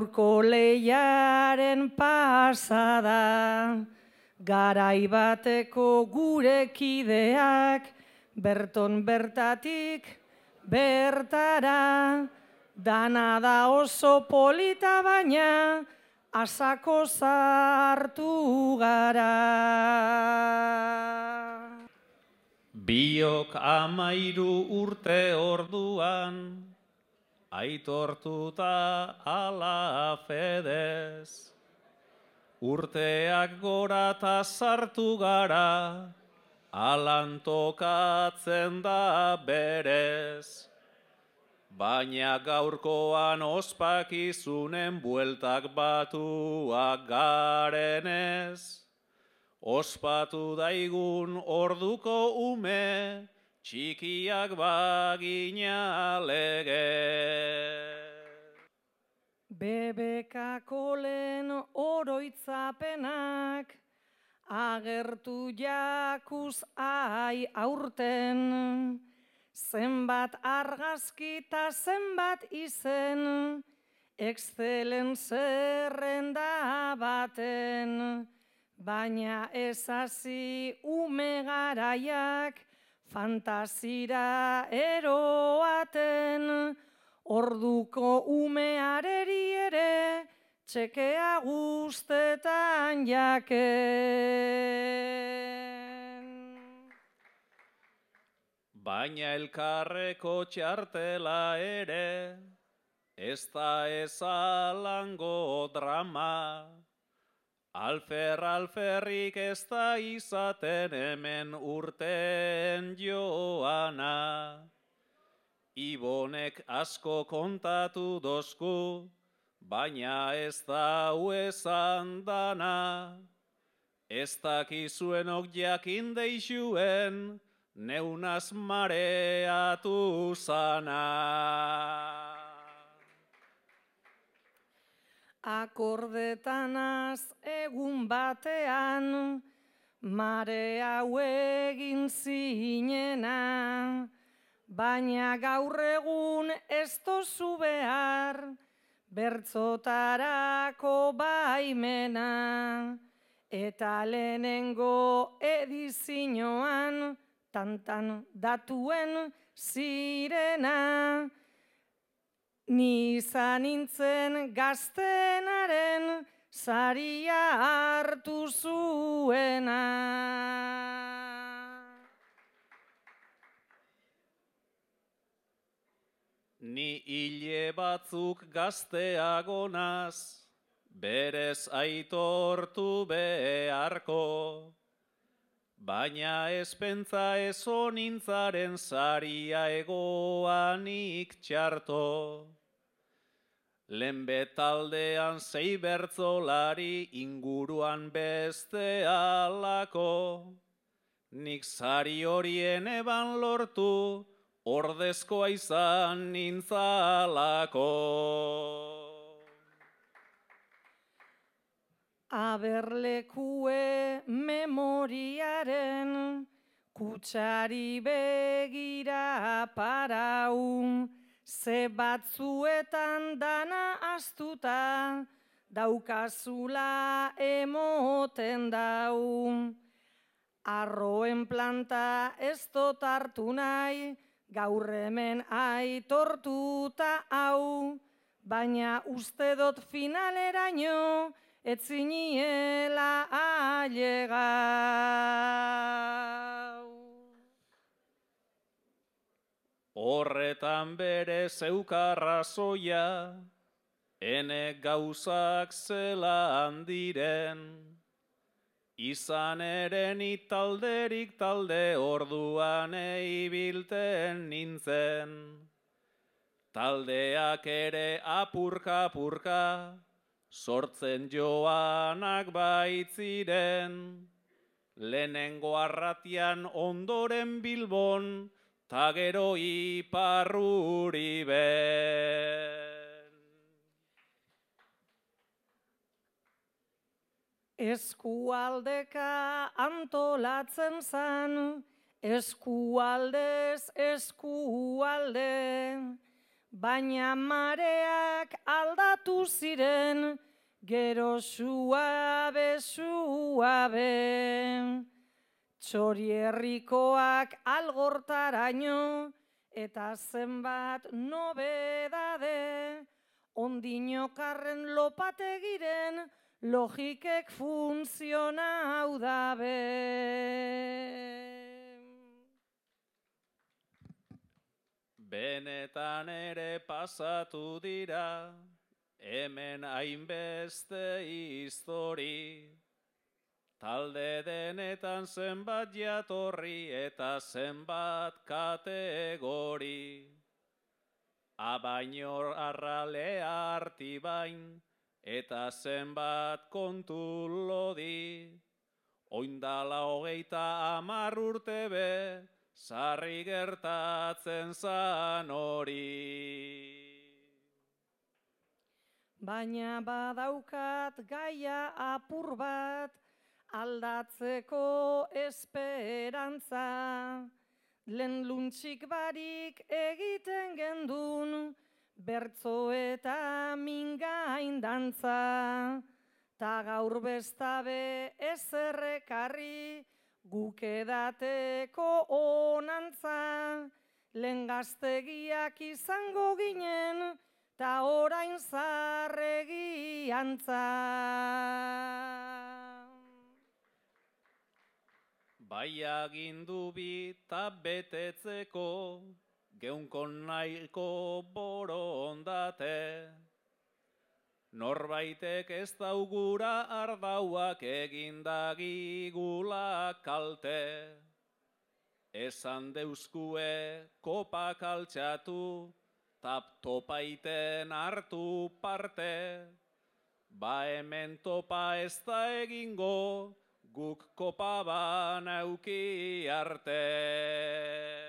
Gaurko lehiaren pasada, garai bateko gure kideak, berton bertatik bertara, dana da oso polita baina, asako sartu gara. Biok 13 urte orduan, aitortuta ala fedez. Urteak gora ta sartu gara, alan tokatzen da berez. Baina gaurkoan ospakizunen bueltak batuak garenez. Ospatu daigun orduko ume, txikiak bagina lege. BBK-ko lehen oroitzapenak, agertu jakuz aurten, zenbat argazki ta zenbat izen, Excelen zerrenda baten. Baina ezazi ume garaiak, fantasira eroaten, orduko umeareri ere, txekea guztetan jaken. Baina elkarreko txartela ere, ez da ezalango drama. Alferrik ez da izaten hemen urten joana. Ibonek asko kontatu dozku, baina ez da esan dana. Ez dakizuenok jakin deixuen, neunaz mareatu zana. Akordetanaz egun batean, mare hau egin zinena, baina gaur egun ez tozu behar, bertzotarako baimena, eta lehenengo edizioan, tantan datuen zirena, ni izan nintzen gaztenaren saria hartu zuena. Ni hile batzuk gazteagonaz, berez aitortu beharko. Baina ezpentza ez honintzaren saria egoanik txarto. Lehen betaldean 6 bertzolari inguruan beste alako. Nik sari horien eban lortu, ordezkoa izan nintzalako. Aberlekue memoriaren, kutsari begira paraun, ze batzuetan dana astuta, daukazula emoten daun. Arroen planta ez dut hartu nahi, gaur hemen aitortuta hau, baina uste dut finaleraino, ez ziniela ailegau. Horretan bere zeukarrazoia, ene gauzak zelan diren. Izan ere ni talderik talde orduan eibilten nintzen. Taldeak ere apurka-apurka, sortzen joanak baitziren. Lehenengo arratian ondoren Bilbon, ta gero Iparruriben. Eskualdeka antolatzen zan, eskualdez eskualde, baina mareak aldatu ziren, gero suabe, suabe. Txorierrikoak algortaraino, eta zenbat nobedade, ondinokarren lopategiren, logikek funtzionau dabe. Benetan ere pasatu dira, hemen hainbeste histori. Talde denetan zenbat jatorri eta zenbat kategori. Abainor arralea artibain eta zenbat kontu lodi. Oindala 30 urte be, sarri gertatzen zan hori. Baina badaukat gaia apur bat, aldatzeko esperantza. Lehen luntxik barik egiten gendun, bertzo eta mingain dantza. Ta gaur bestabe ezerrekarri, guk edateko onantza. Lehen gaztegiak izango ginen, ta orain zarregi antza. Bai agindu bi ta betetzeko, geunko nahiko borondate. Norbaitek ez daugura ardauak egindagigula kalte. Esan deuskue kopak altxatu, tap topaiten hartu parte. Ba hemen topa ez da egingo, guk kopa banauki arte.